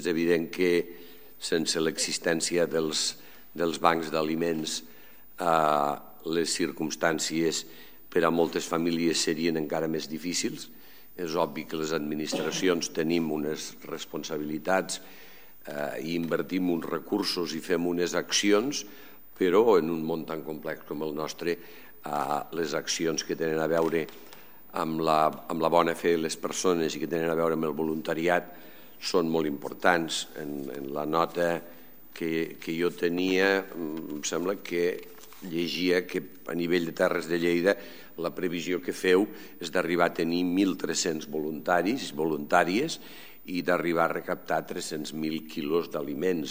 És evident que sense l'existència dels bancs d'aliments les circumstàncies per a moltes famílies serien encara més difícils. És obvi que les administracions tenim unes responsabilitats i invertim uns recursos i fem unes accions, però en un món tan complex com el nostre, les accions que tenen a veure amb la bona fe de les persones i que tenen a veure amb el voluntariat són molt importants. En la nota que jo tenia, em sembla que llegia que a nivell de Terres de Lleida la previsió que feu és d'arribar a tenir 1.300 voluntaris i voluntàries i d'arribar a recaptar 300.000 quilos d'aliments.